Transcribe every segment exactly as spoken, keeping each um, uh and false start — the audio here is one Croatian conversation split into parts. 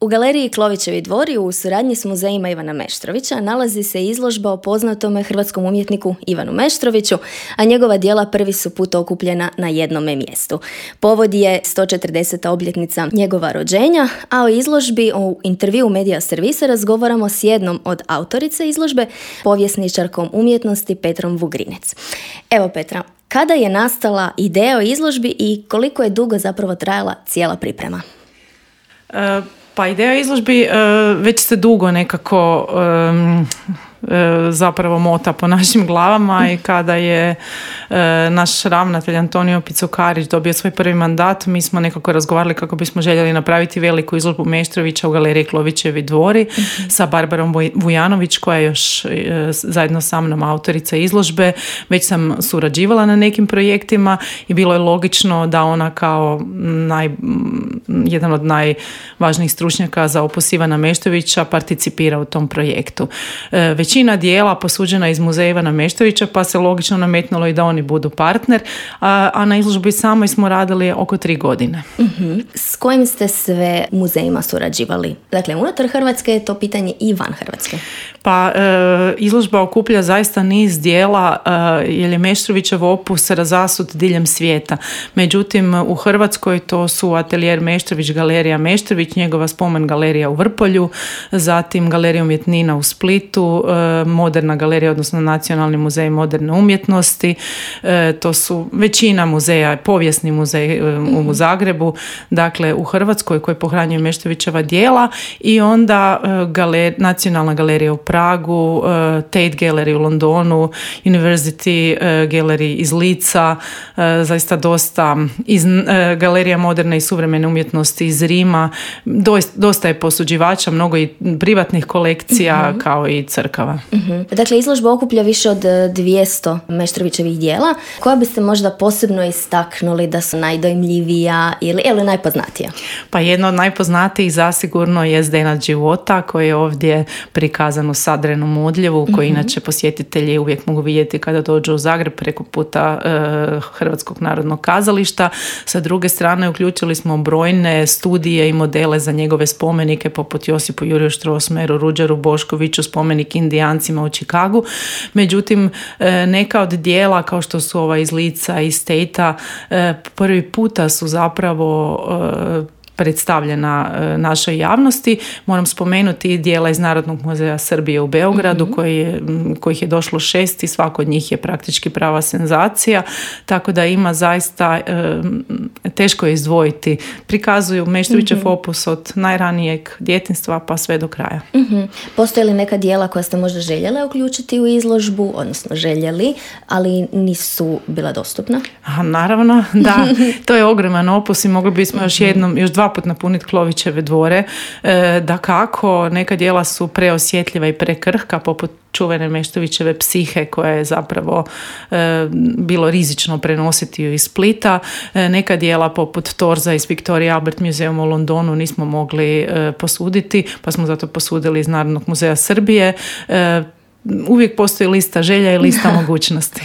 U galeriji Klovićevi dvori u suradnji s muzejima Ivana Meštrovića nalazi se izložba o poznatome hrvatskom umjetniku Ivanu Meštroviću, a njegova djela prvi su put okupljena na jednome mjestu. Povod je sto četrdeseta obljetnica njegova rođenja, a o izložbi u intervju Medija Servisa razgovaramo s jednom od autorice izložbe, povjesničarkom umjetnosti Petrom Vugrinec. Evo Petra, kada je nastala ideja o izložbi i koliko je dugo zapravo trajala cijela priprema? Uh... Pa ideja izložbi uh, već se dugo nekako um, uh, zapravo mota po našim glavama i kada je uh, naš ravnatelj Antonio Picukarić dobio svoj prvi mandat, mi smo nekako razgovarali kako bismo željeli napraviti veliku izložbu Meštrovića u galeriji Klovićevi dvori mm-hmm. sa Barbarom Vujanović, koja je još uh, zajedno sa mnom autorica izložbe. Već sam surađivala na nekim projektima i bilo je logično da ona kao naj, jedan od najvažnijih stručnjaka za opus Ivana Meštrovića participira u tom projektu. E, većina dijela posuđena iz muzeja Ivana Meštrovića, pa se logično nametnulo i da oni budu partner, a, a na izložbi samoj smo radili oko tri godine. Uh-huh. S kojim ste sve muzejima surađivali? Dakle, unutar Hrvatske je to pitanje i van Hrvatske. Pa e, izložba okuplja zaista niz dijela e, jer je Meštrovićev opus razasut diljem svijeta. Međutim, u Hrvatskoj to su atelijer Meštrović, galerija Meštrović, njegova spomen galerija u Vrpolju, zatim galerija umjetnina u Splitu, e, moderna galerija, odnosno Nacionalni muzej moderne umjetnosti, e, to su većina muzeja, povijesni muzej e, u Zagrebu, dakle u Hrvatskoj koji pohranjuje Meštrovićeva djela, i onda e, galer, Nacionalna galerija u Pragu, uh, Tate Gallery u Londonu, University uh, Gallery iz Lica, uh, zaista dosta iz uh, galerija moderne i suvremene umjetnosti iz Rima. Doista, dosta je posuđivača, mnogo i privatnih kolekcija uh-huh. kao i crkava. Uh-huh. Dakle, izložba okuplja više od dvjesto Meštrovićevih djela. Koja biste možda posebno istaknuli da su najdojmljivija ili, ili najpoznatija? Pa jedna od najpoznatijih zasigurno je Zdenad života, koji je ovdje prikazan u Sadrenom odljevu, koji mm-hmm. inače posjetitelji uvijek mogu vidjeti kada dođu u Zagreb preko puta e, Hrvatskog narodnog kazališta. Sa druge strane uključili smo brojne studije i modele za njegove spomenike poput Josipu Juriju Strossmayeru, Ruđeru Boškoviću, spomenik Indijancima u Čikagu. Međutim, e, neka od dijela kao što su ova iz Lica i Statea e, prvi puta su zapravo e, predstavljena e, našoj javnosti. Moram spomenuti dijela iz Narodnog muzeja Srbije u Beogradu, mm-hmm. koji je, kojih je došlo šest i svako od njih je praktički prava senzacija, tako da ima zaista e, teško je izdvojiti. Prikazuju Meštrovićev mm-hmm. opus od najranijeg djetinjstva pa sve do kraja. Mm-hmm. Postoje li neka dijela koja ste možda željele uključiti u izložbu, odnosno željeli, ali nisu bila dostupna? A, naravno, da. To je ogroman opus i mogli bismo mm-hmm. još jednom, još dva put napuniti Klovićeve dvore. E, da kako, neka djela su preosjetljiva i prekrhka, poput čuvene Meštrovićeve Psihe, koja je zapravo e, bilo rizično prenositi ju iz Splita. E, neka djela poput Torza iz Victoria Albert Museum u Londonu nismo mogli e, posuditi, pa smo zato posudili iz Narodnog muzeja Srbije. E, uvijek postoji lista želja i lista mogućnosti.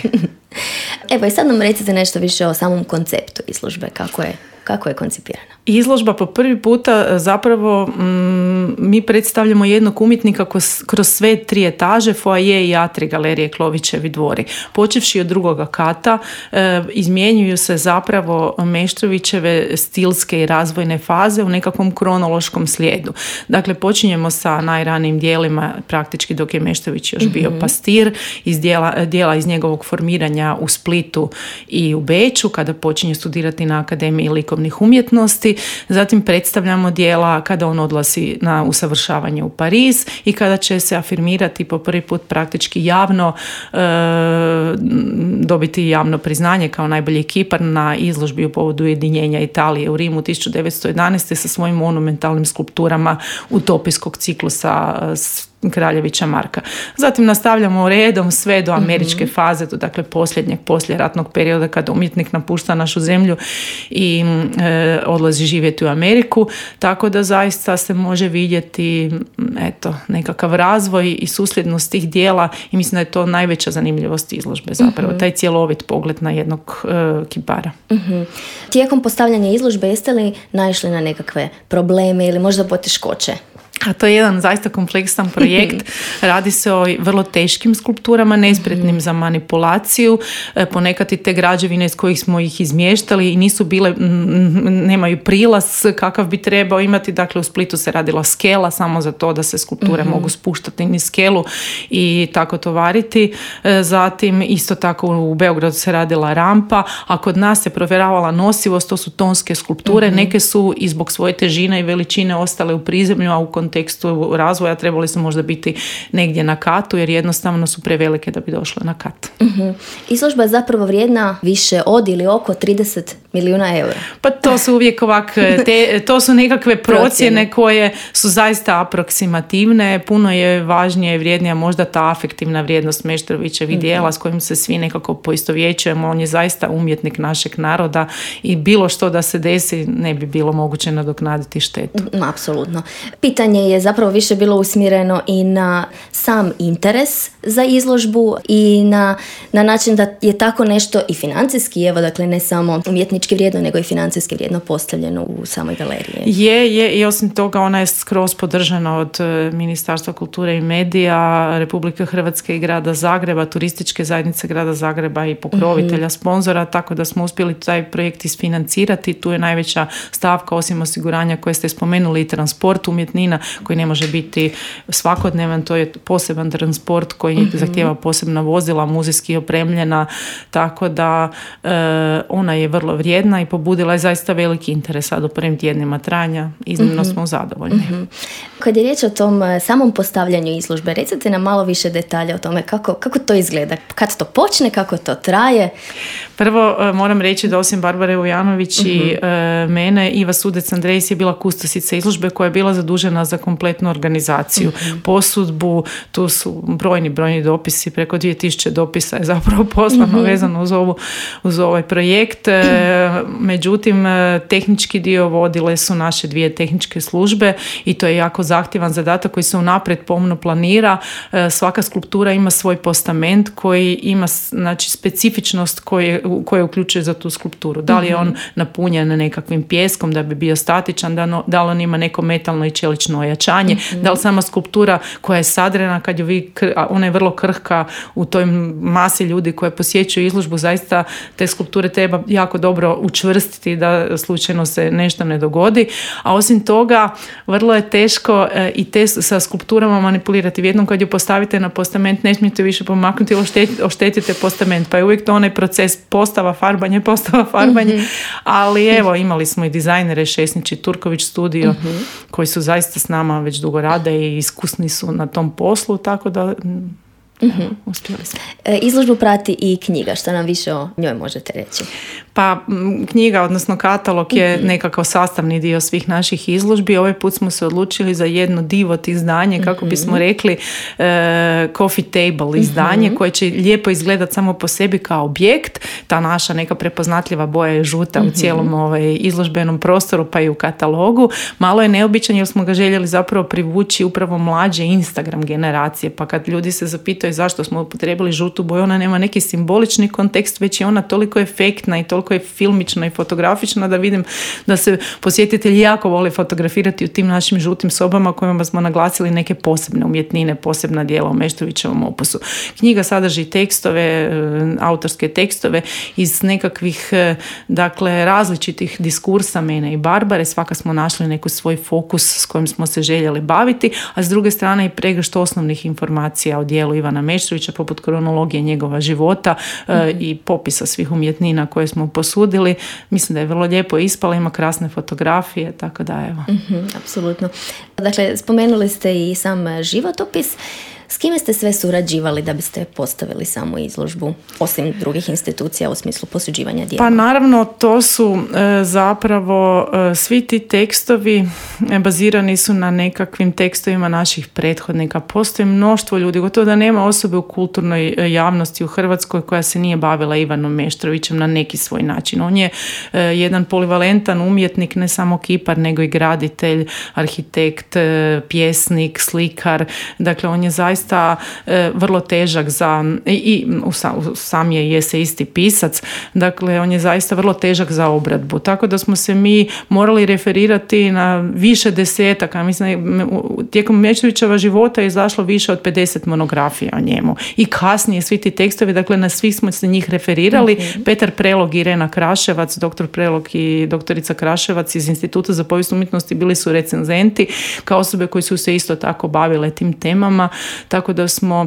Evo i sad nam recite nešto više o samom konceptu izložbe, kako je, kako je koncipirana. Izložba po prvi puta zapravo mm, mi predstavljamo jednog umjetnika kroz, kroz sve tri etaže, foaje i atri galerije Klovićevi dvori. Počevši od drugoga kata e, izmjenjuju se zapravo Meštrovićeve stilske i razvojne faze u nekakvom kronološkom slijedu. Dakle, počinjemo sa najranijim dijelima, praktički dok je Meštrović još bio mm-hmm. pastir, iz dijela, dijela iz njegovog formiranja u Splitu i u Beču, kada počinje studirati na Akademiji likovnih umjetnosti. Zatim predstavljamo dijela kada on odlazi na usavršavanje u Pariz i kada će se afirmirati po prvi put praktički javno, e, dobiti javno priznanje kao najbolji kipar na izložbi u povodu ujedinjenja Italije u Rimu tisuću devetsto jedanaeste. sa svojim monumentalnim skulpturama utopijskog ciklusa Kraljevića Marka. Zatim nastavljamo redom sve do američke mm-hmm. faze, do dakle posljednjeg, poslijeratnog perioda kada umjetnik napušta našu zemlju i e, odlazi živjeti u Ameriku, tako da zaista se može vidjeti eto, nekakav razvoj i susljednost tih dijela i mislim da je to najveća zanimljivost izložbe zapravo, mm-hmm. taj cjelovit pogled na jednog e, kipara. Mm-hmm. Tijekom postavljanja izložbe jeste li naišli na nekakve probleme ili možda poteškoće? A to je jedan zaista kompleksan projekt. Radi se o vrlo teškim skulpturama, nespretnim za manipulaciju. Ponekad i te građevine iz kojih smo ih izmještali i nisu bile, nemaju prilaz kakav bi trebao imati. Dakle, u Splitu se radila skela samo za to da se skulpture mm-hmm. mogu spuštati niz skelu i tako tovariti. Zatim, isto tako u Beogradu se radila rampa, a kod nas se provjeravala nosivost, to su tonske skulpture. Mm-hmm. Neke su i zbog svoje težine i veličine ostale u prizemlju, a u kontekstu razvoja trebali su možda biti negdje na katu jer jednostavno su prevelike da bi došle na kat. Uh-huh. Izložba je zapravo vrijedna više od ili oko trideset milijuna eura. Pa to su uvijek ovak, te, to su nekakve procjene koje su zaista aproksimativne. Puno je važnije i vrijednija možda ta afektivna vrijednost Meštrovićevih uh-huh. dijela s kojim se svi nekako poistovjećujemo. On je zaista umjetnik našeg naroda i bilo što da se desi ne bi bilo moguće nadoknaditi štetu. Uh, apsolutno. Pitanje je zapravo više bilo usmjereno i na sam interes za izložbu i na, na način da je tako nešto i financijski, evo dakle ne samo umjetnički vrijedno, nego i financijski vrijedno postavljeno u samoj galeriji. Je, je i osim toga ona je skroz podržana od Ministarstva kulture i medija, Republike Hrvatske i grada Zagreba, turističke zajednice grada Zagreba i pokrovitelja, mm-hmm. sponzora, tako da smo uspjeli taj projekt isfinancirati. Tu je najveća stavka osim osiguranja koje ste spomenuli i transport umjetnina koji ne može biti svakodnevan, to je poseban transport koji mm-hmm. zahtijeva posebna vozila, muzejski opremljena, tako da e, ona je vrlo vrijedna i pobudila je zaista veliki interes sad u prvim tjednima trajanja. Iznimno mm-hmm. smo zadovoljni. Mm-hmm. Kad je riječ o tom samom postavljanju izložbe, recite nam malo više detalja o tome kako, kako to izgleda, kad to počne, kako to traje. Prvo e, moram reći da osim Barbare Vujanović mm-hmm. i e, mene, Iva Sudec-Andrejs je bila kustosica izložbe koja je bila zadužena za kompletnu organizaciju, mm-hmm. posudbu, tu su brojni, brojni dopisi, preko dvije tisuće dopisa je zapravo poslano mm-hmm. vezano uz, ovu, uz ovaj projekt. E, međutim, tehnički dio vodile su naše dvije tehničke službe i to je jako zahtjevan zadatak koji se unaprijed pomno planira. E, svaka skulptura ima svoj postament koji ima znači, specifičnost koje, koje uključuje za tu skulpturu. Da li je on napunjen nekakvim pijeskom da bi bio statičan, da, no, da li on ima neko metalno i čelično ojačanje, mm-hmm. da li sama skulptura koja je sadrena kad ju vi, ona je vrlo krhka u toj masi ljudi koje posjećuju izložbu, zaista te skulpture treba jako dobro učvrstiti da slučajno se nešto ne dogodi, a osim toga vrlo je teško e, i te sa skulpturama manipulirati. Jednom kad ju postavite na postament ne smijete više pomaknuti, oštetite, oštetite postament, pa je uvijek to onaj proces postava, farbanje, postava, farbanje, mm-hmm. ali evo imali smo i dizajnere Šesnić i Turković studio mm-hmm. koji su zaista s nama već dugo rade i iskusni su na tom poslu, tako da mm-hmm. evo, uspjeli smo. E, izložbu prati i knjiga, što nam više o njoj možete reći? Pa knjiga, odnosno katalog je mm-hmm. nekakav sastavni dio svih naših izložbi. Ovaj put smo se odlučili za jedno divot izdanje, kako mm-hmm. bismo rekli e, coffee table izdanje, mm-hmm. koje će lijepo izgledati samo po sebi kao objekt. Ta naša neka prepoznatljiva boja je žuta mm-hmm. u cijelom ovaj, izložbenom prostoru pa i u katalogu. Malo je neobičan jer smo ga željeli zapravo privući upravo mlađe Instagram generacije, pa kad ljudi se zapitaju zašto smo upotrijebili žutu boju, ona nema neki simbolični kontekst, već je ona toliko efektna i toliko je filmična i fotografična da vidim da se posjetitelji jako vole fotografirati u tim našim žutim sobama kojima smo naglasili neke posebne umjetnine, posebna djela u Meštrovićevom opusu. Knjiga sadrži tekstove, autorske tekstove iz nekakvih dakle različitih diskursa mene i Barbare. Svaka smo našli neku svoj fokus s kojim smo se željeli baviti, a s druge strane i pregršt osnovnih informacija o djelu Ivana Meštrovića, poput kronologije njegova života mm-hmm. e, i popisa svih umjetnina koje smo posudili. Mislim da je vrlo lijepo ispala, ima krasne fotografije, tako da evo. Mm-hmm, apsolutno. Dakle, spomenuli ste i sam životopis. S kime ste sve surađivali da biste postavili samu izložbu, osim drugih institucija u smislu posuđivanja dijela? Pa naravno, to su e, zapravo e, svi ti tekstovi e, bazirani su na nekakvim tekstovima naših prethodnika. Postoji mnoštvo ljudi, gotovo da nema osobe u kulturnoj e, javnosti u Hrvatskoj koja se nije bavila Ivanom Meštrovićem na neki svoj način. On je e, jedan polivalentan umjetnik, ne samo kipar, nego i graditelj, arhitekt, e, pjesnik, slikar. Dakle, on je zaista e, vrlo težak za, i, i sam je i eseisti pisac, dakle, on je zaista vrlo težak za obradbu. Tako da smo se mi morali referirati na više desetaka. Mislim, tijekom Meštrovićeva života je izašlo više od pedeset monografija o njemu. I kasnije svi ti tekstovi, dakle, na svih smo se njih referirali. Mm-hmm. Petar Prelog i Irena Kraševac, doktor Prelog i doktorica Kraševac iz Instituta za povijest umjetnosti bili su recenzenti kao osobe koji su se isto tako bavile tim temama, tako da smo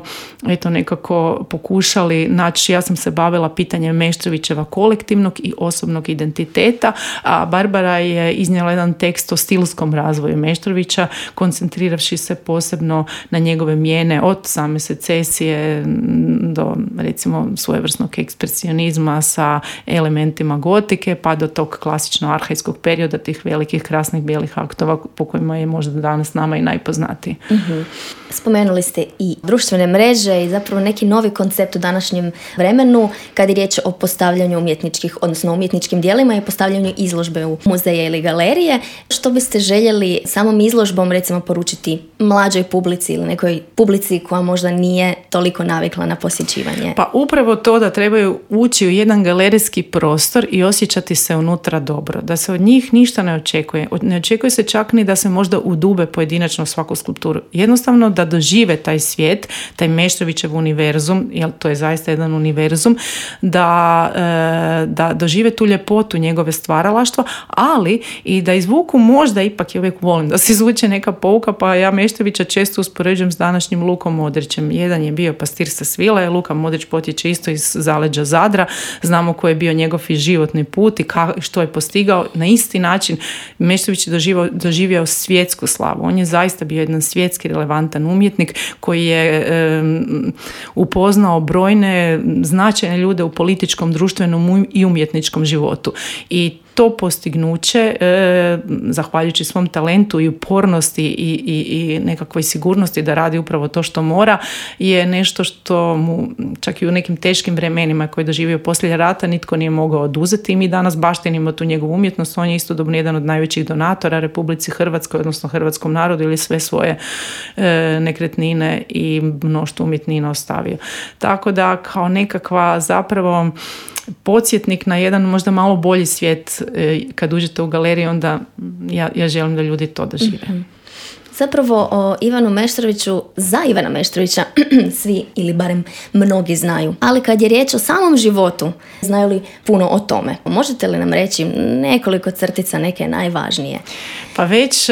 eto nekako pokušali naći, ja sam se bavila pitanjem Meštrovićeva kolektivnog i osobnog identiteta, a Barbara je iznijela jedan tekst o stilskom razvoju Meštrovića, koncentriravši se posebno na njegove mijene od same secesije do recimo svojevrsnog ekspresionizma sa elementima gotike pa do tog klasično arhajskog perioda, tih velikih krasnih bijelih aktova po kojima je možda danas nama i najpoznatiji. Mm-hmm. Spomenuli ste i društvene mreže i zapravo neki novi koncept u današnjem vremenu kad je riječ o postavljanju umjetničkih, odnosno umjetničkim dijelima i postavljanju izložbe u muzeje ili galerije. Što biste željeli samom izložbom recimo poručiti mlađoj publici ili nekoj publici koja možda nije toliko navikla na posjećivanje? Pa upravo to da trebaju ući u jedan galerijski prostor i osjećati se unutra dobro. Da se od njih ništa ne očekuje. Ne očekuje se čak ni da se možda udube pojedinačno svaku skulpturu. Jednostavno da dožive taj svijet, taj Meštrovićev univerzum, jer to je zaista jedan univerzum, da, da dožive tu ljepotu njegove stvaralaštva, ali i da izvuku možda, ipak ja uvijek volim da se izvuče neka pouka, pa ja Meštrovića često uspoređujem s današnjim Lukom Modrićem. Jedan je bio pastir sa Svilaja, Luka Modrić potječe isto iz zaleđa Zadra, znamo koji je bio njegov i životni put i ka, što je postigao. Na isti način Meštrović je doživio, doživio svjetsku slavu. On je zaista bio jedan svjetski relevantan umjetnik koji je um, upoznao brojne značajne ljude u političkom, društvenom i umjetničkom životu. I to postignuće, e, zahvaljujući svom talentu i upornosti i, i, i nekakvoj sigurnosti da radi upravo to što mora, je nešto što mu čak i u nekim teškim vremenima koje je doživio poslije rata nitko nije mogao oduzeti i mi danas baštinimo tu njegovu umjetnost. On je istodobno jedan od najvećih donatora Republici Hrvatskoj, odnosno hrvatskom narodu, ili sve svoje e, nekretnine i mnoštvo umjetnina ostavio. Tako da kao nekakva zapravo podsjetnik na jedan možda malo bolji svijet kad uđete u galeriju, onda ja, ja želim da ljudi to dožive. Mm-hmm. Zapravo o Ivanu Meštroviću, za Ivana Meštrovića svi ili barem mnogi znaju. Ali kad je riječ o samom životu, znaju li puno o tome? Možete li nam reći nekoliko crtica, neke najvažnije? Pa već,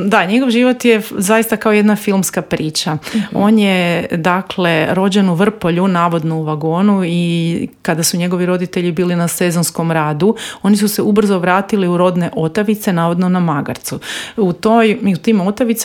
da, njegov život je zaista kao jedna filmska priča. Mm-hmm. On je, dakle, rođen u Vrpolju, navodno u vagonu, i kada su njegovi roditelji bili na sezonskom radu, oni su se ubrzo vratili u rodne Otavice, navodno na Magarcu. U, toj, u tim Otavicama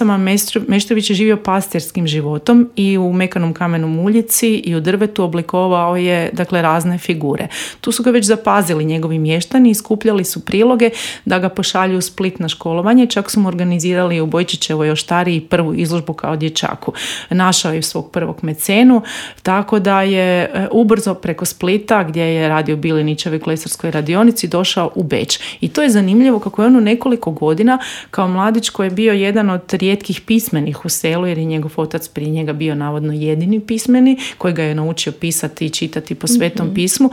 Meštrović je živio pastirskim životom i u mekanom kamenom uljici i u drvetu oblikovao je, dakle, razne figure. Tu su ga već zapazili njegovi mještani i skupljali su priloge da ga pošalju u Split na školovanje. Čak su mu organizirali u Bojčićevoj oštariji prvu izložbu kao dječaku. Našao je svog prvog mecenu, tako da je ubrzo preko Splita, gdje je radio u Bilinićevoj klesarskoj radionici, došao u Beč. I to je zanimljivo kako je on u nekoliko godina kao mladić koji je bio jedan od rijetkih pismenih u selu, jer je njegov otac prije njega bio navodno jedini pismeni koji ga je naučio pisati i čitati po Svetom mm-hmm. pismu,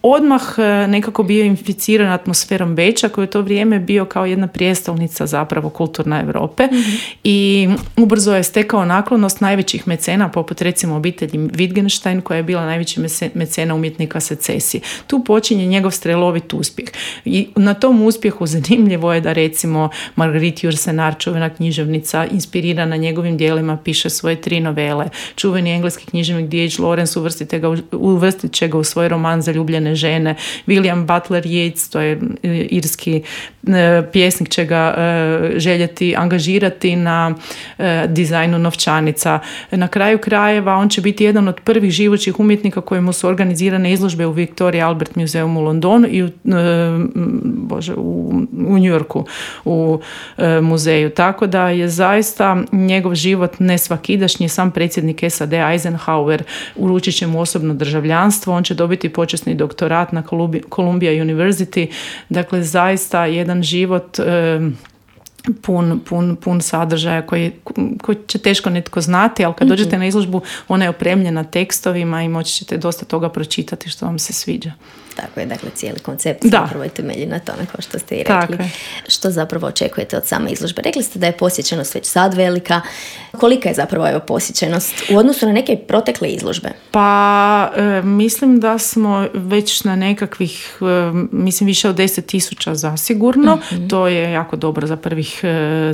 odmah nekako bio inficiran atmosferom Beča, koji je u to vrijeme bio kao jedna prijestolnica zapravo kulturna Europe, mm-hmm. i ubrzo je stekao naklonost najvećih mecena, poput recimo obitelji Wittgenstein, koja je bila najveći mecena umjetnika secesije. Tu počinje njegov strelovit uspjeh. I na tom uspjehu zanimljivo je da recimo Marguerite Yourcenar, čuvena književnica, inspirirana njegovim dijelima, piše svoje tri novele. Čuveni engleski književnik D H Lawrence uvrstit će ga u svoj roman Zaljubljene žene. William Butler Yeats, to je irski pjesnik će ga željeti angažirati na dizajnu novčanica. Na kraju krajeva on će biti jedan od prvih živućih umjetnika kojemu su organizirane izložbe u Victoria Albert Museum u Londonu i u, bože, u, u New Yorku u muzeju. Tako da je zaista njegov život nesvakidašnji. Sam predsjednik S A D Eisenhower uručit će mu osobno državljanstvo, on će dobiti počasni doktorat na Columbia University. Dakle, zaista jedan život e, pun, pun, pun sadržaja koji, koji će teško netko znati, ali kad mm-hmm. dođete na izložbu, ona je opremljena tekstovima i moći ćete dosta toga pročitati što vam se sviđa. Tako je, dakle, cijeli koncept zapravo je temelji na tome, kao što ste i rekli. Što zapravo očekujete od same izložbe? Rekli ste da je posjećenost već sad velika. Kolika je zapravo evo posjećenost u odnosu na neke protekle izložbe? Pa, e, mislim da smo već na nekakvih, e, mislim, više od deset tisuća zasigurno. Mm-hmm. To je jako dobro za prvih,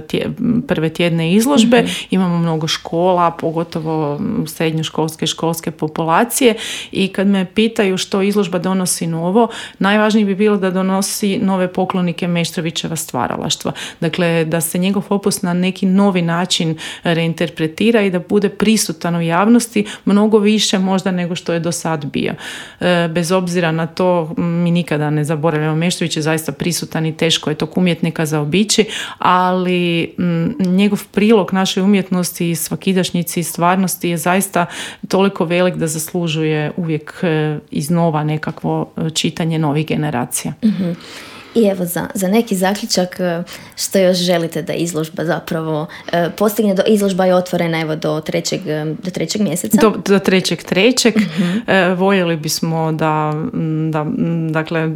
tje, prve tjedne izložbe. Mm-hmm. Imamo mnogo škola, pogotovo srednjoškolske i školske populacije. I kad me pitaju što izložba donosi novo, najvažnije bi bilo da donosi nove poklonike Meštrovićeva stvaralaštva. Dakle, da se njegov opus na neki novi način reinterpretira i da bude prisutan u javnosti mnogo više možda nego što je do sad bio. E, bez obzira na to, mi nikada ne zaboravljamo, Meštrović je zaista prisutan i teško je tog umjetnika zaobići, ali m, njegov prilog našoj umjetnosti i svakidašnjici i stvarnosti je zaista toliko velik da zaslužuje uvijek e, iznova nekakvo čitanje novih generacija. Mm-hmm. I evo za, za neki zaključak, što još želite da izložba zapravo e, postigne? Do, izložba je otvorena evo do trećeg, do trećeg mjeseca. Do, do trećeg trećeg. Mm-hmm. E, voljeli bismo da, da, dakle,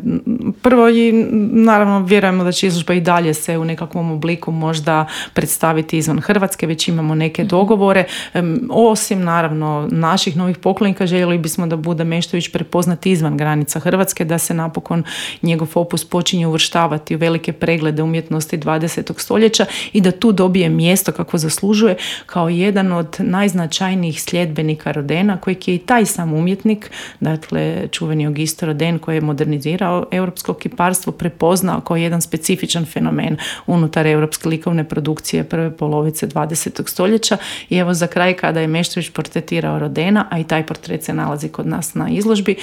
prvo i naravno vjerujemo da će izložba i dalje se u nekakvom obliku možda predstaviti izvan Hrvatske, već imamo neke mm-hmm. dogovore. E, osim naravno naših novih poklonika, željeli bismo da bude Meštrović prepoznat izvan granica Hrvatske, da se napokon njegov opus počinje uvrštavati u velike preglede umjetnosti dvadesetog stoljeća i da tu dobije mjesto kako zaslužuje kao jedan od najznačajnijih sljedbenika Rodena, kojeg je i taj sam umjetnik, dakle čuveni Auguste Rodin, koji je modernizirao europsko kiparstvo, prepoznao kao jedan specifičan fenomen unutar europske likovne produkcije prve polovice dvadesetog stoljeća. I evo za kraj, kada je Meštrović portretirao Rodena, a i taj portret se nalazi kod nas na izložbi,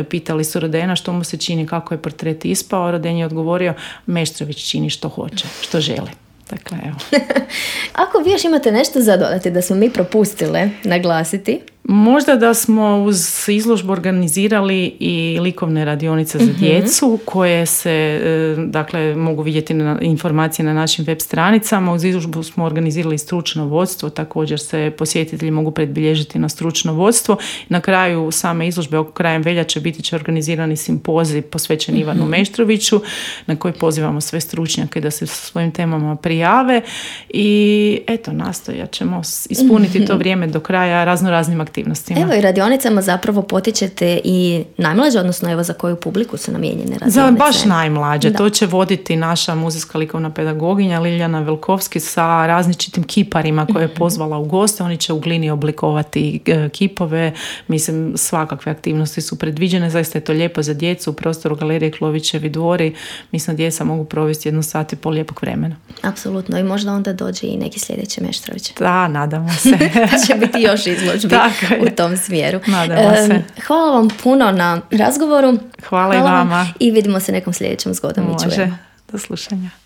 pitali su Rodena što mu se čini, kako je portret ispao. Roden je odgovorio, Meštrović čini što hoće, što želi. Dakle, evo. Ako vi još imate nešto za dodati da smo mi propustile naglasiti? Možda da smo uz izložbu organizirali i likovne radionice za djecu, koje se, dakle, mogu vidjeti na informacije na našim web stranicama. Uz izložbu smo organizirali stručno vodstvo, također se posjetitelji mogu predbilježiti na stručno vodstvo. Na kraju same izložbe, oko krajem veljače, biti će organizirani simpozij posvećen Ivanu mm-hmm. Meštroviću, na koji pozivamo sve stručnjake da se sa svojim temama prijave i eto, nastojat ćemo ispuniti mm-hmm. to vrijeme do kraja razno raznim aktivnostima. Evo, i radionicama zapravo potičete i najmlađe, odnosno evo za koju publiku su namijenjene radionice? Za baš najmlađe. Da. To će voditi naša muzejska likovna pedagoginja Liljana Velkovski sa različitim kiparima koje je pozvala u goste. Oni će u glini oblikovati kipove. Mislim, svakakve aktivnosti su predviđene. Zaista je to lijepo za djecu u prostoru Galerije Klovićevi dvori. Mislim, djeca mogu provesti jednu sat i pol lijepog vremena. Apsolutno. I možda onda dođe i neki sljedeći Meštrović. Da, nadamo se. Pa će biti još izložbi u tom smjeru. Nadamo se. Hvala vam puno na razgovoru. Hvala, Hvala i vama. I vidimo se nekom sljedećem zgodom. Može. Do slušanja.